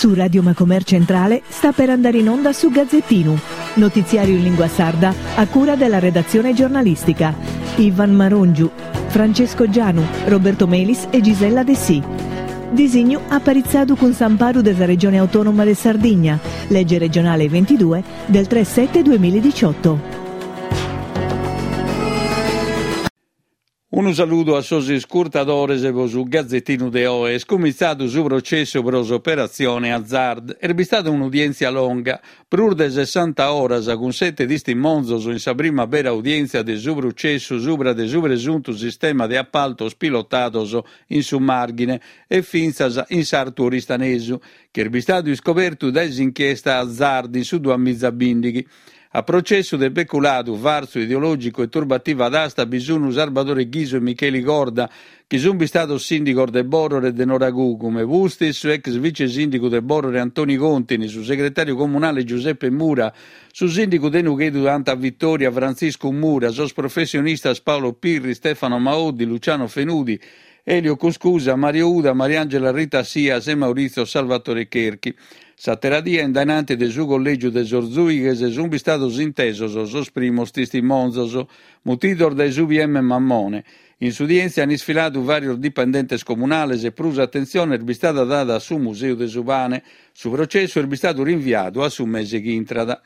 Su Radio Macomer Centrale sta per andare in onda su Gazzettinu, notiziario in lingua sarda a cura della redazione giornalistica. Ivan Marongiu, Francesco Gianu, Roberto Melis e Gisella Dessì. Disignu aparitzadu cun s'amparu de sa Regione Autonoma de Sardigna, lege regionale 22 del 3 7 2018. Unu saludu a sos iscurtadores pro su Gazetinu de oe. Est cumintzadu su processu pro s'operatzione Hazard. Est bistada un'udièntzia longa, prus de sessanta oras, cun sete tistimonzos in sa prima bera udièntzia de su processu subra de su presuntu sistema de apaltos pilotados in su Màrghine e fintzas in s'Artu Oristanesu, chi est bistadu iscobertu dae s'inchiesta Hazard in su duamizabìndighi. A processu de peculadu, fartzu ideològicu e turbativa d'asta bi sun Sarbadore Ghisu e Micheli Corda, chi sun bistados sìndigos de Bòrore e de Noragugume, pustis su ex vice-sìndigu de Bòrore Antoni Contini, su segretàriu comunale Giuseppe Mura, su sìndigu de Nughedu Santa Vittoria Frantziscu Mura, sos professionistas Paolo Pirri, Stefano Maoddi, Luciano Fenudi, Elio Cuscusa, Mario Uda, Mariangela Rita Sias e Maurizio Salvatore Cherchi. S'àtera die, in dae nanti de su collègiu de sos zùighes, sunt bistados intesos sos primos tistimonzos, mutidos dae su PM Mammone. In s'udièntzia ant isfiladu vàrios dipendentes comunales e prus atentzione est bistada dada a su Museu de su Pane. Su processu est bistadu rinviadu a su mese chi intrat.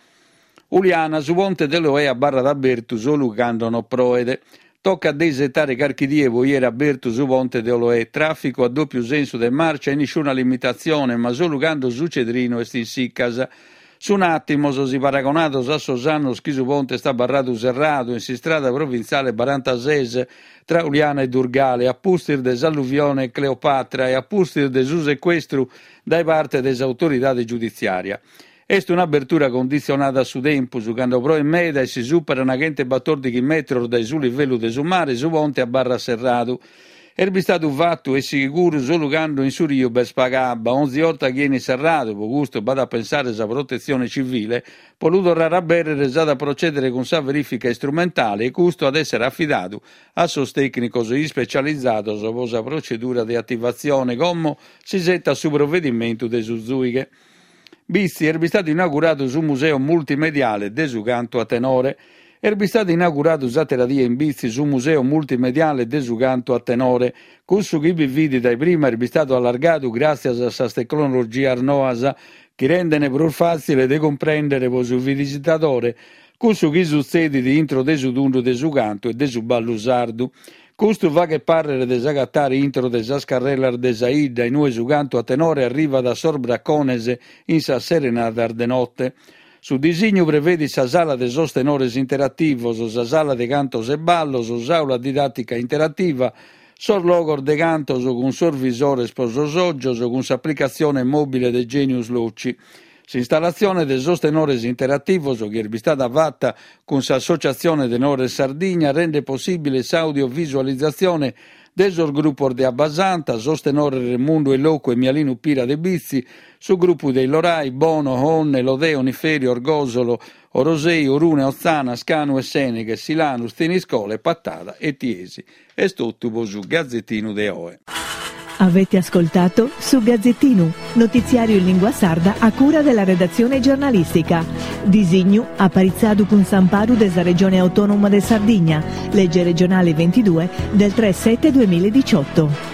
Uliana, su ponte de Loè abarrat abertu solu cando no proet. Tocat de isetare carchi die pro 'iere abertu su ponte de Oloè, tràficu a dòpiu sensu de màrcia e nisciuna limitatzione, ma solu cando su Cedrinu est in sicas. Sun àtimos, si paragonados a sos annos chi su ponte est abarradu serradu in s'istrada provintziale barantases tra Uliana e Durgale, a pustis de s'alluvione Cleopatra e a pustis de su secuestru dae parte de s'autoridade giuditziària. Est un'abertura conditzionada a su tempus, cando proet meda e si superan chentebbatòrdighi metros dae su livellu de su mare su ponte abarrat serradu. Est bistadu fatu e siguru solu cando in su riu b'est paga abba, onzi 'orta chi 'enit serradu, pro custu b'at a pensare sa protetzione civile, pro lu torrare a abèrrere s'at a procedere cun sa verìfica istrumentale e custu at èssere afidadu a sos tècnicos ispecializados pro sa procedura de ativatzione, como s'isetat su provedimentu de su zùighe. Bitzi, est bistadu inauguradu su Museu Multimediale de su Cantu a Tenore. Est bistadu inauguradu s'àtera die in Bitzi su Museu Multimediale de su Cantu a Tenore. Cussu chi bi fit dae prima est bistadu allargadu gràtzias a sas tecnologias noas chi renden prus fàtzile de cumprèndere pro su visitadore cussu chi sutzedit intro de su tundu de su cantu e de su ballu sardu. Custu faghet pàrrere de s'agatare intro de sas carrelas de sa 'idda in ue su cantu a tenore arrivat a sos bracones in sas serenadas de note. Su disignu prevedit sa sala de sos tenores interativos, sa sala de cantos e ballos, s'àula didàtica interativa, sos logos de cantos cun sos visores pro sos ògios cun s'aplicatzione mòbile de Genius Loci. S'installatzione de sos tenores interativos, chi est bistada fata cun s'Associatzione Tenores Sardigna, rendet possìbile s'audiovisualizatzione de sos grupos de Abbasanta, sos tenores Remundu 'e Locu e Mialinu Pira de Bitzi, su grupu de Illorai, Bono, Onne, Lodè, Oniferi, Orgòsolo, Orosei, Orune, Otzana, Scanu e Sèneghe, Silanus, Thiniscole, Patada e Tiesi. Est totu pro su Gazetinu de oe. Avete ascoltato Su Gazzettinu, notiziario in lingua sarda a cura della redazione giornalistica. Disignu aparitzadu cun s'amparu de sa Regione Autonoma de Sardigna, legge regionale 22 del 3 7 2018.